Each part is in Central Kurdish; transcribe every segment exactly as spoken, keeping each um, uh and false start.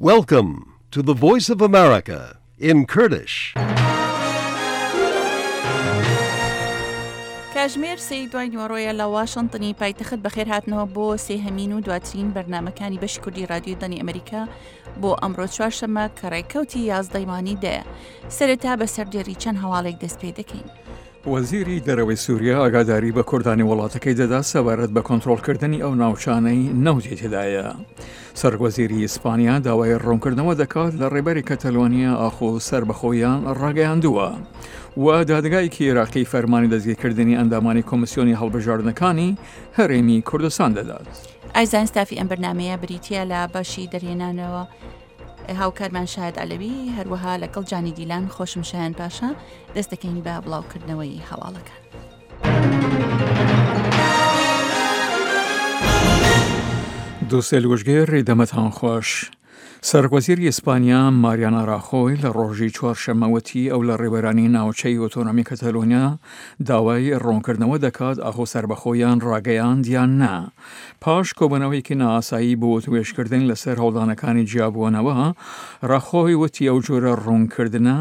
Welcome to the Voice of America in Kurdish. کاژمێر سێی دوای نیوەڕۆیە لە واشنتنی پایتەخت. بەخێرهاتنەوە بۆ سێهەمین و دواترین بەرنامەکانی بەشی کوردی رادیۆی دەنگی ئەمریکا بۆ ئەمڕۆ چوارشەممە کە ڕێکەوتی یازدەی مانگی دەیە. سەرەتا بە سەردێری چەند هەواڵێک دەست پێ دەکەین. وەزیری دەرەوەی سووریا ئاگاداری بە کوردانی وڵاتەکەی دەدا سەبارەت بە کۆنترۆڵکردنی ئەو ناوچانەی نەوتی تێدایە. سەرۆکوەزیری ئیسپانیا داوای ڕوونکردنەوە دەکات لە ڕێبەری کەتەلۆنیا ئاخۆ سەربەخۆیان ڕاگەیاندووە و دادگایەکی عێراقی فەرمانی دەستگیرکردنی ئەندامانی کۆمسیۆنی هەڵبژاردنەکانی هەرێمی کوردستان دەدات. ئایزان ستافی ئەم بەرنمەیە بریتە لە بەشی دەرهێنانەوە هاوکارمان شاهد عەلەوی، هەروەها لەگەڵ جانی دیلان خۆشم شایان پاشا دەست دەکەین بە بڵاوکردنەوەی هەواڵەکان. دووسێ لوژگێر دەمەتان خۆش. سەرۆکوەزیری ئیسپانیا ماریانا ڕاخۆی لە ڕۆژی چوارشەممە وتی ئەو لە ڕێبەرانی ناوچەی ئۆتۆنۆمی کەتەلۆنیا داوای ڕوونکردنەوە دەکات ئاخۆ سەربەخۆیان ڕاگەیاند یان نا. پاش کۆبوونەوەیەکی نائاسایی بۆ وتوێژکردن لەسەر هەوڵدانەکانی جیابوونەوە، ڕاخۆی وتی ئەو جۆرە ڕوونکردنە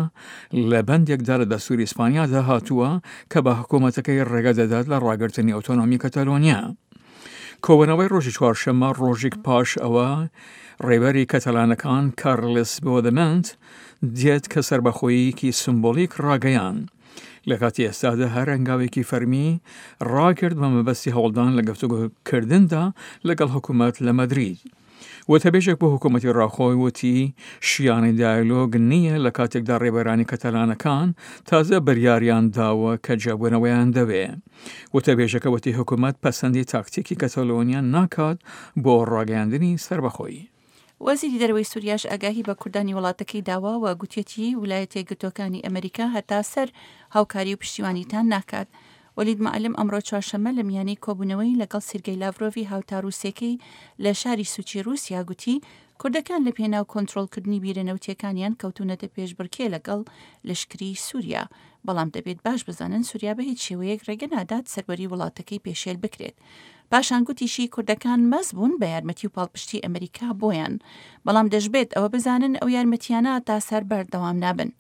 لە بەندێکدا لە دەستوری ئیسپانیادا هاتووە کە بە حکوومەتەکەی ڕێگە دەدات لە ڕاگرتنی ئۆتۆنۆمی کەتەلۆنیا. کۆبوونەوەی ڕۆژی چوارشەممە ڕۆژێک پاش ئەوە ڕێبەری کەتەلانەکان کارلس بۆدەمنت دێت کە سەربەخۆییەکی سمبۆلیک ڕاگەیان. لە کاتی ئێستادا هەر هەنگاوێکی فەرمی ڕاگرت بە مەبەستی هەوڵدان لە گفتوگۆکردندا لەگەڵ حکوومەت لە مەدرید. وتەبێژێک بۆ حکوومەتی ڕاخۆی وتی شیانی دیالۆگ نییە لە کاتێکدا ڕێبەرانی کەتەلانەکان تازە بریاریان داوە کە جیابوونەوەیان دەوێ. وتەبێژەکە وتی حکوومەت پەسەندی تاکتیکی کەتەلۆنیا ناکات بۆ ڕاگەیاندنی سەربەخۆیی. وەزیری دەرەوەی سووریاش ئاگاهی بە کوردانی وڵاتەکەی داوە و گوتیەتی ویلایەتە یەکگرتووەکانی ئەمریکا هەتا سەر هاوکاری و پشتیوانیتان ناکات. وەلید معلم ئەمڕۆ چوارشەممە لە میانەی کۆبوونەوەی لەگەڵ سیرگەی لاڤرۆڤی هاوتا رووسەکەی لە شاری سوچی رووسیا گوتی کوردەکان لە پێناو کۆنترۆڵکردنی بیرە نەوتیەکانیان کەوتونەتە پێشبڕکێ لەگەڵ لەشکری سووریا، بەڵام دەبێت باش بزانن سووریا بە هیچ شێوەیەک ڕێگە نادات سەروەری وڵاتەکەی پێشێل بکرێت. پاشان گوتیشی کوردەکان مەز بوون بە یارمەتی و پاڵپشتی ئەمریکا بۆیان، بەڵام دەشبێت ئەوە بزانن ئەو یارمەتیانە تا سەر بەردەوام نابن.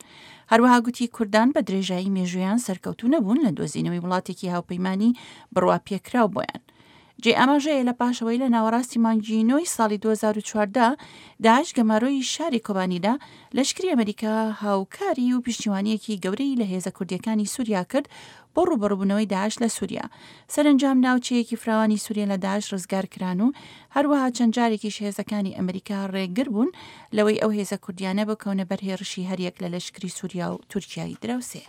هەروەها گوتی کوردان بە درێژایی مێژوویان سەرکەوتوو نەبوون لە دۆزینەوەی وڵاتێکی هاوپەیمانی بڕوا پێکراو بۆیان. جێ ئاماژەیە لە پاشەوەی لە ناوەڕاستی مانگی نۆی ساڵی دوو هەزار و چواردە داعش گەمارۆی شاری کۆبانیدا، لەشکری ئەمریکا هاوکاری و پشتیوانیەکی گەورەی لە هێزە کوردیەکانی سووریا کرد بۆ ڕووبەڕووبوونەوەی داعش لە سووریا. سەرەنجام ناوچەیەکی فراوانی سووریا لە داعش ڕزگار کران و هەروەها چەند جارێکیش هێزەکانی ئەمریکا ڕێگر بوون لەوەی ئەو هێزە کوردیانە بکەونە بەر هێرشی هەریەک لە لەشکری سووریا و تورکیای دراوسێ.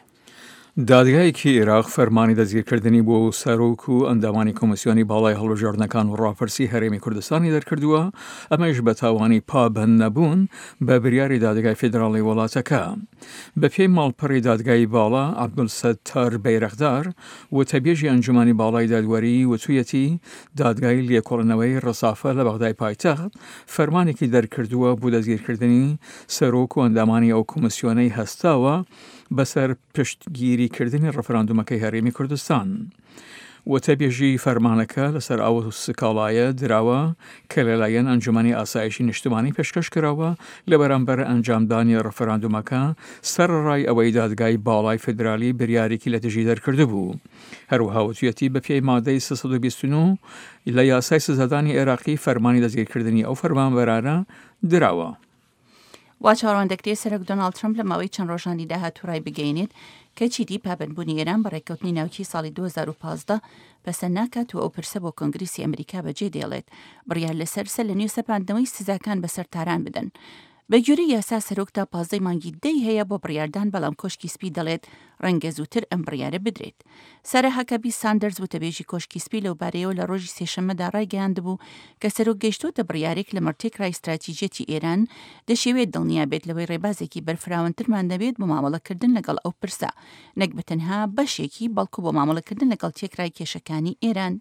دادگایەکی عێراق فەرمانی دەستگیرکردنی بۆ سەرۆک و ئەندامانی کۆمیسیۆنی باڵای هەڵبژاردنەکان و ڕاپرسی هەرێمی کوردستانی دەرکردووە، ئەمەش بە تاوانی پابەند نەبوون بە بریاری دادگای فیدراڵی وڵاتەکە. بەپێی ماڵپەڕی دادگای باڵا، عەبدولستار بەیرەقدار وتەبێژی ئەنجومەنی باڵای دادوەری وتویەتی دادگای لێکۆڵینەوەی ڕسافە لە بەغدای پایتەخت فەرمانێکی دەرکردووە بۆ دەستگیرکردنی سەرۆک و ئەندامانی ئەو کۆمیسیۆنەی هەستاوە بەسەر پشتگیریکردنی ڕفراندومەکەی هەرێمی کوردستان. وتەبێژی فەرمانەکە لەسەر ئەو سکاڵایە دراوە کە لەلایەن ئەنجومەنی ئاسایشی نیشتمانی پێشکەش کراوە لە بەرامبەر ئەنجامدانی ڕفراندومەکە، سەرەڕای ئەوەی دادگای باڵای فیدرالی بریارێکی لە دژی دەرکردبوو. هەروەها وتویەتی بەپێی مادەی سێ سەد و بیست و نۆ لە یاسای سزادانی عێراقی فەرمانی دەستگیرکردنی ئەو فەرمانبەرانە دراوە. وا چاوەڕوان دەکرێت سەرۆک دۆناڵد ترەمپ لە ماوەی چەند ڕۆژانی داهاتوو ڕای بگەیەنێت کە چیدی پابەندبوونی ئێران بە ڕێککەوتنی ناوکی ساڵی دوو هەزار و پازدە پەسەند ناکات و ئەو پرسە بۆ کۆنگرسی ئەمریکا بەجێ دێڵێت بڕیار لەسەر سەر لە نوێ سەپاندنەوەی سزاکان بەسەر تاران بدەن. بە گوێرەی یاسا سەرۆک تا پازدەی مانگی دەی هەیە بۆ بڕیاردان، بەڵام کۆشکی سپی دەڵێت ڕەنگە زووتر ئەم بڕیارە بدرێت. سارا هاکابی ساندەرز وتەبێژی کۆشکی سپی لەوبارەیەوە لە ڕۆژی سێشەممەدا ڕایگەیاندبوو کە سەرۆک گەیشتۆتە بڕیارێک لە مەڕتێکرای استراتیژیەتی ئێران دەشێوێت دڵنیا بێت لەوەی ڕێبازێکی بەرفراوانترمان دەبێت بۆ مامەڵەکردن لەگەڵ ئەو پرسە، نەک بە تەنها بەشێکی بەڵکو بۆ مامەڵەکردن لەگەڵ تێکرای کێشەکانی ئێران.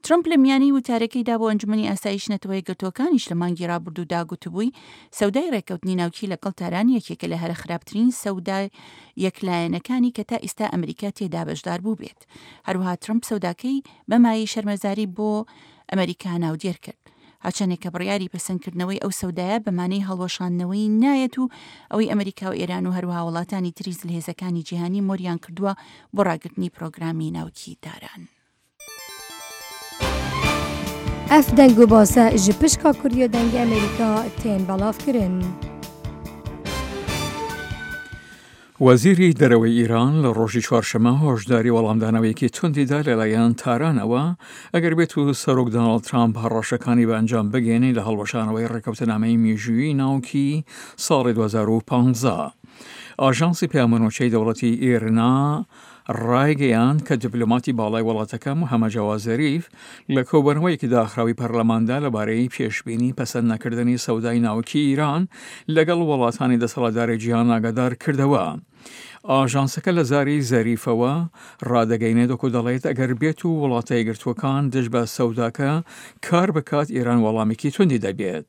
ترەمپ لە میانەی وتارەکەیدا بۆ ئەنجومەنی ئاسایش نەتەوە یەکگرتووەکانیش لە مانگی ڕابردوودا گوتبووی سەودای ڕێککەوتنی ناوکی لەگەڵ تاران یەکێکە لە هەرە خراپترین سەودا یەکلایەنەکانی کە تا ئێستا ئەمریکا تێدا بەشدار بوو بێت. هەروەها ترەمپ سەوداکەی بە مایەی شەرمەزاری بۆ ئەمریکا ناودێر کرد. هەرچەندێک کە بڕیاری پەسەندکردنەوەی ئەو سەودایە بە مانای هەڵوەشاندنەوەی نایەت و ئەوەی ئەمریکا و ئێران و هەروەها وڵاتانی تری زلهێزەکانی جیهانی مۆریان کردووە بۆ ڕاگرتنی پرۆگرامی ناوکی تاران. ئەف دەنگ و باسە ji pişka Kurdiya Dengê Amerîka tên belavkirin. وەزیری دەرەوەی ئێران لە ڕۆژی چوارشەممە هۆشداری وەڵامدانەوەیەکی توندیدا لەلایەن تارانەوە ئەگەر بێت و سەرۆک دۆناڵد ترامپ هەڕەشەکانی بە ئەنجام بگەێنێ لە هەڵوەشانەوەی ڕێکەوتنامەی مێژوویی ناوکی ساڵی دوو هەزار و پازدە. ئاژانسی پەیامنوچەی دەوڵەتی ئێرنا ڕایگەیاند کە دیپلۆماتی باڵای وڵاتەکە محەممەد جەواد زەریف لە کۆبوونەوەیەکی داخراوی پەرلەماندا لەبارەی پێشبینی پەسەند نەکردنی سەودای ناوکی ئیران لەگەڵ وڵاتانی دەسەڵاتداری جیهان ئاگادار کردەوە. ئاژانسەکە لە زاری زەریفەوە ڕادەگەینێت وەکو دەڵێت ئەگەر بێت و وڵاتە یەکگرتووەکان دژ بە سەوداکە کار بکات ئێران وەڵامێکی توندی دەبێت.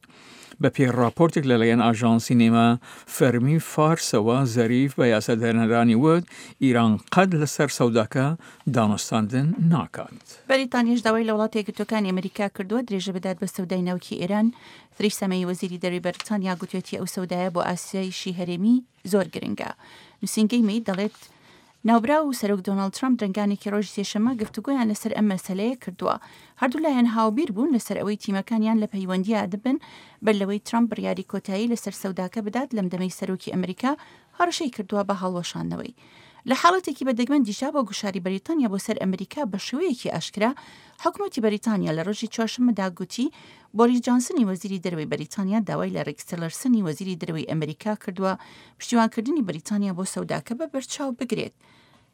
بە پێی راپۆرتێک لەلایەن ئاژانسی نیمە فەرمی فارسەوە زەریف بە یاسادانەرانی وت ئیران قەت لەسەر سەوداکە دانوستاندن ناکات. بەریتانیاش داوای لە وڵاتە یەکگرتووەکانی ئەمریکا کردووە درێژە بدات بە سەودای ناوکی ئێران. تریسا مەی وەزیری دەرەوەی بەریتانیا گوتوێتی ئەو سەودایە بۆ ئاسایشی هەرێمی زۆر گرنگە. نووسینگەی مەی دەڵێت ناوبراو و سەرۆک دۆناڵد ترامپ درەنگانێکی ڕۆژی سێشەممە گفتوگۆیان لەسەر ئەم مەسەلەیە کردووە. هەردوو لایەن هاوبیر بوون لەسەر ئەوەی تیمەکانیان لە پەیوەندییا دەبن بەر لەوەی ترامپ بڕیاری کۆتایی لەسەر سەوداکە بدات لەم دەمەی سەرۆکی ئەمریکا هەڕەشەی کردووە بە هەڵوەشاندنەوەی. لە حاڵەتێکی بەدەگمەندیشدا بۆ گوشاری بەریتانیا بۆ سەر ئەمریکا بە شێوەیەکی ئاشکرا حکوومەتی بەریتانیا لە ڕۆژی چوارشەممەدا گوتی بۆریس جانسنی وەزیری دەرەوەی بەریتانیا داوای لە ڕێکس تیلەرسنی وەزیری دەرەوەی ئەمریکا کردووە پشتیوانکردنی بەریتانیا بۆ سەوداکە بە بەرچاو بگرێت.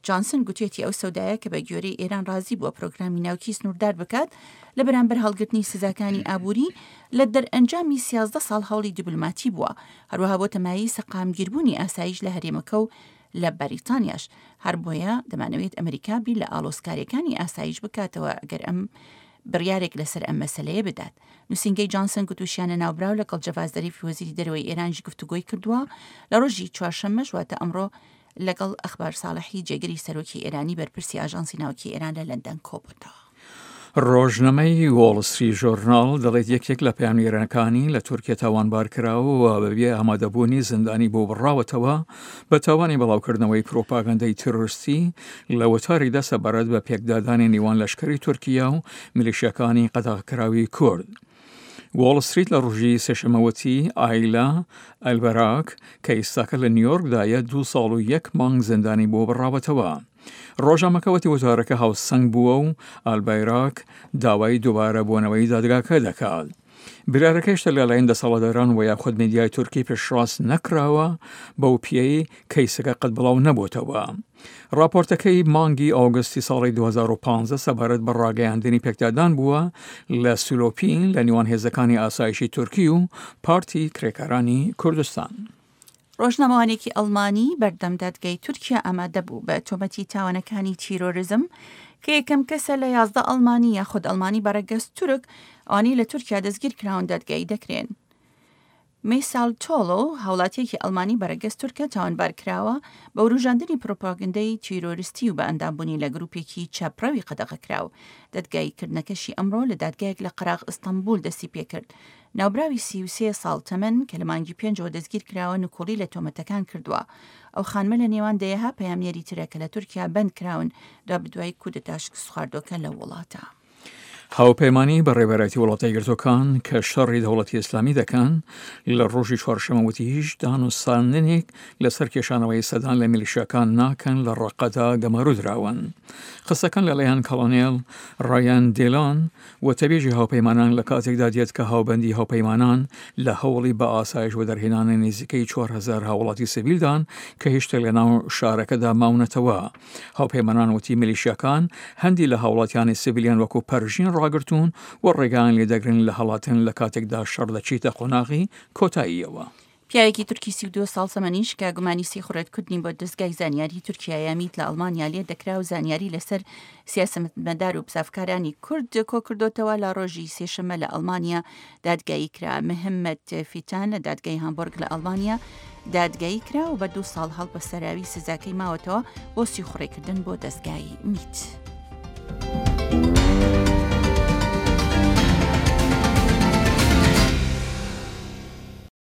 جانسن گوتێتی ئەو سەودایە کە بە گوێرەی ئێران ڕازی بووە پرۆگرامی ناوکی سنووردار بکات لە بەرامبەر هەڵگرتنی سزاکانی ئابووری لە دەرئەنجامی سیازدە ساڵ هەوڵی دیبلۆماتی بووە، هەروەها بۆ تەمایی سەقامگیربوونی ئاسایش لە هەرێمەکە و لە بەریتانیاش. هەر بۆیە دەمانەوێت ئەمریکا بیر لە ئاڵۆزکاریەکانی ئاسایش بکاتەوە ئەگەر ئەم بڕیارێک لەسەر ئەم مەسەلەیە بدات. نووسینگەی جانسن گوتوشیانە ناوبراو لەگەڵ جەڤاد زەریف وەزیری دەرەوەی ئێرانیش گفتوگۆی کردووە لە ڕۆژی چوارشەممەش واتە ئەمڕۆ لەگەڵ ئەخبار ساڵحی جێگری سەرۆکی ئێرانی بەرپرسی ئاژانسی ناوکی ئێران لە لەندەن کۆبووتەوە. ڕۆژنامەی وۆڵ ستریت ژۆرناڵ دەڵێت یەکێک لە پەیامنێرەکانی لە تورکیا تاوانبار کراوە و بەبێ ئامادەبوونی زیندانی بۆ بڕاوەتەوە بە تاوانی بەڵاوکردنەوەی پرۆپاگەندەی تیرۆریستی لە وتارێکدا سەبارەت بە پێکدادانی نێوان لەشکری تورکیا و میلیشیاکانی قەدەغەکراوی کورد. وۆڵ ستریت لە ڕۆژی سێشەممەوەتی ئایلا ئەلبەراک کە ئێستاکە لە نیویۆرکدایە دوو ساڵ و یەک مانگ زیندانی بۆ بڕاوەتەوە. ڕۆژنامەکەوەتی وتارەکە هاوسەنگ بووە و ئالبایراک داوای دووبارە بۆنەوەی دادگاکە دەکات. بریارەکە هێشتا لەلایەن دەسەڵاتداران و یاخود میدیای تورکی پشتڕاست نەکراوە بەو پێی کەیسەکە قەت بڵاو نەبووتەوە. راپۆرتەکەی مانگی ئاگستی ساڵی دوو هەزار و پازدە سەبارەت بە ڕاگەیاندنی پێکدادان بووە لە سولۆپین لە نێوان هێزەکانی ئاسایشی تورکی و پارتی کرێکارانی کوردستان. ڕۆژنامەوانێکی ئەڵمانی بەردەم دادگای تورکیا ئامادە بوو بە تۆمەتی تاوانەکانی تیرۆریزم کە یەکەم کەسە لە یازدە ئەڵمانی یاخود ئەڵمانی بەڕەگەز تورک ئەوانەی لە تورکیا دەستگیر کراون دادگایی دەکرێن. میسال تۆڵۆ هاوڵاتیەکی ئەڵمانی بەڕەگەز تورکە تاوانبار کراوە بە وروژاندنی پرۆپاگەندەی تیرۆریستی و بە ئەندامبوونی لە گروپێکی چاپڕەوی قەدەغەکراو. دادگاییکردنەکەشی ئەمڕۆ لە دادگایەک لە قەراغ ئیستانبول دەستی پێکرد. ناوبراوی سی و سێ ساڵ تەمەن کە لە مانگی پێنجەوە دەستگیر کراوە نکۆڵی لە تۆمەتەکان کردووە. ئەو خانمە لە نێوان دەیەها پەیامنێری ترە کە لە تورکیا بەند کراون دوابدوای کودەتا شکستخواردووەکە لە وڵاتە. هاوپەیمانی بە ڕێبەرایەتی وڵاتە یەکگرتووەکان کە شەڕی دەوڵەتی ئیسلامی دەکەن لە ڕۆژی چوارشەممە وتی هیچ دانوستاندنێک لەسەر کێشانەوەی سەدان لە میلیشیاکان ناکەن لە ڕەقەدا گەمارۆ دراون. قسەکان لەلایەن کۆڵۆنێل ڕایان دیلان وتەبێژی هاوپەیمانان لە کاتێکدا دێت کە هاوبەندی هاوپەیمانان لە هەوڵی بە ئاسایش و دەرهێنانی نزیکەی چوار هەزار هاوڵاتی سیڤیلدان کە هێشتا لەناو شارەکەدا ماونەتەوە. هاوپەیمانان وتی میلیشیاکان هەندی لە هاوڵاتیانی سیڤیلیان وەکو پەرژین ڕاگرتوون و ڕێگایان لێدەگرن لە هەڵاتن لە کاتێکدا شەڕ دەچیتە قۆناغی کۆتاییەوە. پیاوێکی تورکی سی و دوو ساڵ تەمەنیش کە گومانی سیخوڕێتکردنی بۆ دەستگای زانیاری تورکیا یامیت لە ئەڵمانیا لێ دەکرا و زانیاری لەسەر سیاسەتمەدار و بزافکارانی کورد کۆکردوتەوە لە ڕۆژی سێشەممە لە ئەڵمانیا دادگایی کرا. مهمەت فیتان لە دادگای هامبۆرگ لە ئەڵمانیا دادگایی کرا و بە دوو ساڵ هەڵبەسەراوی سزاکەی ماوەتەوە بۆ سیخوڕێکردن بۆ دەستگای میت.